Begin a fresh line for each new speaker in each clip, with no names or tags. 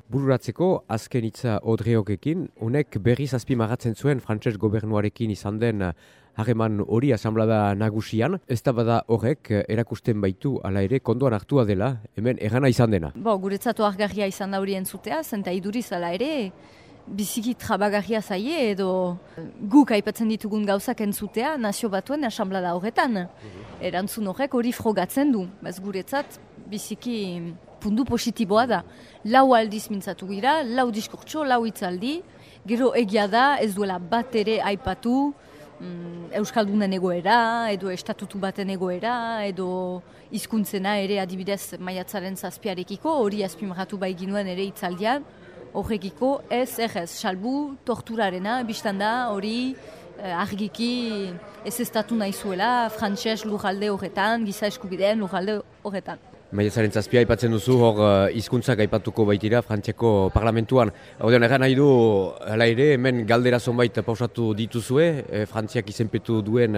Bururatzeko azken hitza Odreokekin, honek berriz azpimarratzen zuen frantses gobernuarekin izan den harreman hori asanblada nagusian. Ez da bada horrek erakusten baitu hala ere kondoan hartua dela, hemen errana izan dena.
Guretzatu argarria izan da hori entzutea, zenta iduriz hala ere, biziki trabagarria zaie edo guk aipatzen ditugun gauzak entzutea nazio batuen asanblada horretan. Erantzun horrek hori frogatzen du, guretzat biziki puntu positiboa da. 4 aldiz mintzatu gira, 4 diskurtso, 4 hitzaldi, gero egia da ez duela bat ere aipatu Euskaldunen egoera, edo estatutu baten egoera, edo hizkuntzena ere adibidez maiatzaren 7-arekiko, hori azpimarratu bai ginuen ere hitzaldian, horrekiko ez, salbu torturarena, biztan da hori argiki ez estatu nahi zuela, frantses lurralde horretan, giza eskubideen lurralde horretan.
Maiatzaren 7 aipatzen duzu, hor hizkuntzak aipatuko baitira Frantziako parlamentuan. Haudean erran nahi du, hala ere, hemen galdera zonbait pausatu dituzue, Frantziak izenpetu duen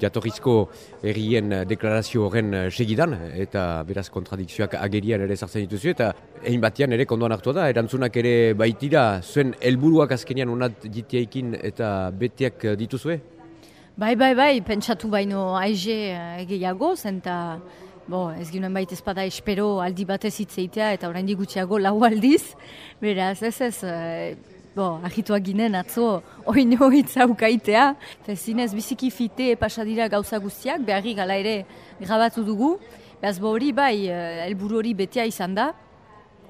jatorrizko herrien deklarazio horren segidan, eta beraz kontradikzioak agerian ere sartzen dituzu, eta egin batean ere kondoan hartua da, erantzunak ere baitira, zuen helburuak azkenean onat jiteekin eta beteak dituzue?
Bai, pentsatu baino aize gehiago, zenta ez ginen baita ezpada espero aldi batez hitzeitea eta oraindik gutxiago 4 aldiz, beraz agituak ginen atzo oino hitza ukaitea, eta zinez biziki fite pasadira gauza guztiak, beharri gala ere grabatu dugu, beraz hori helburu hori betea izan da,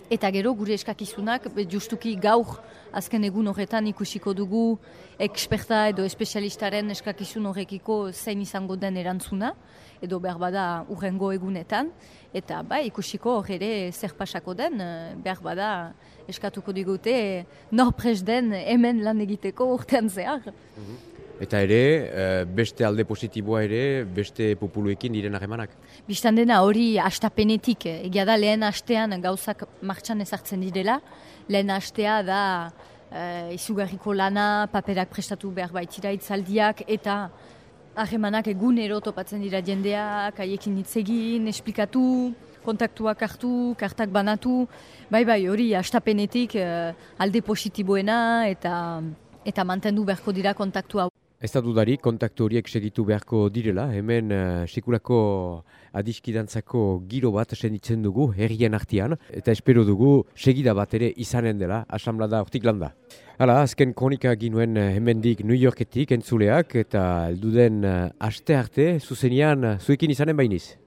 eta gero gure eskakizunak justuki gaur azken egun horretan ikusiko dugu eksperta edo espezialistaren eskakizun horrekiko zein izango den erantzuna, edo behar bada urrengo egunetan, eta ikusiko hor ere zer pasako den, behar bada eskatuko digute nor prest den hemen lan egiteko urtean zehar.
Eta ere, beste alde positiboa ere, beste populuekin diren harremanak?
Bistan dena hori hastapenetik, egia da lehen hastean gauzak martxan ezartzen direla, lehen hastea da izugarriko lana, paperak prestatu behar baitira hitzaldiak, eta harremanak egunero topatzen dira jendeak, haiekin hitz egin, esplikatu, kontaktuak hartu, kartak banatu, hori hastapenetik alde positiboena eta mantendu beharko dira kontaktua.
Ez da dudari, kontaktu horiek segitu beharko direla, hemen sekulako adiskidantzako giro bat senditzen dugu herrien artean, eta espero dugu segida bat ere izanen dela, asanblada hortik landa. Hala, azken kronika ginuen hemendik New Yorketik entzuleak, eta elduden aste arte, zuzenean zuekin izanen bainiz.